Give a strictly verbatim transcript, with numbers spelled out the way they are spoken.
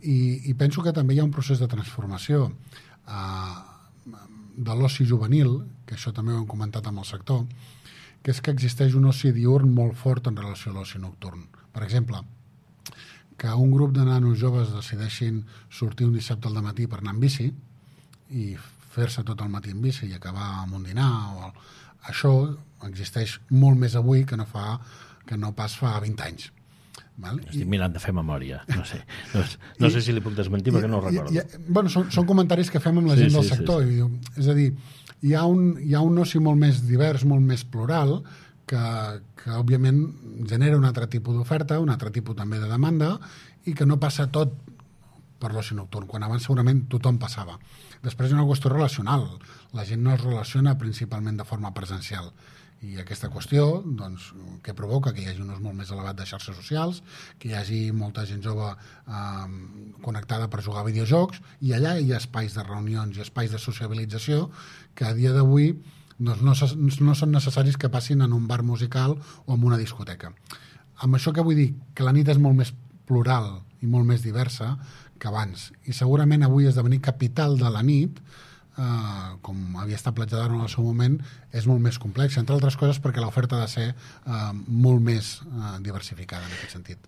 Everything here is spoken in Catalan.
I, i penso que també hi ha un procés de transformació eh, de l'oci juvenil, que això també ho hem comentat amb el sector, que és que existeix un oci diurn molt fort en relació a l'oci nocturn. Per exemple, que un grup de nanos joves decideixin sortir un dissabte al matí per anar en bici i fer-se tot el matí en bici i acabar amb un dinar, o... això existeix molt més avui que no, fa, que no pas fa vint anys. Val? Estic mirant de fer memòria, no sé. No, no I, sé si li puc desmentir perquè no ho recordo. I, i, bueno, són, són comentaris que fem amb la sí, gent del sí, sector. Sí, sí. És a dir, hi ha, un, hi ha un oci molt més divers, molt més plural, que, que òbviament genera un altre tipus d'oferta, un altre tipus també de demanda, i que no passa tot per l'oci nocturn, quan abans segurament tothom passava. Després hi ha una qüestió relacional. La gent no es relaciona principalment de forma presencial. I aquesta qüestió, doncs, que provoca que hi hagi un ús molt més elevat de xarxes socials, que hi hagi molta gent jove eh, connectada per jugar a videojocs, i allà hi ha espais de reunions i espais de sociabilització que a dia d'avui doncs, no, no són necessaris que passin en un bar musical o en una discoteca. Amb això què vull dir? Que la nit és molt més plural i molt més diversa que abans. I segurament avui esdevenir capital de la nit, Uh, com havia estat platjada en el seu moment, és molt més complex, entre altres coses perquè l'oferta ha de ser uh, molt més uh, diversificada en aquest sentit.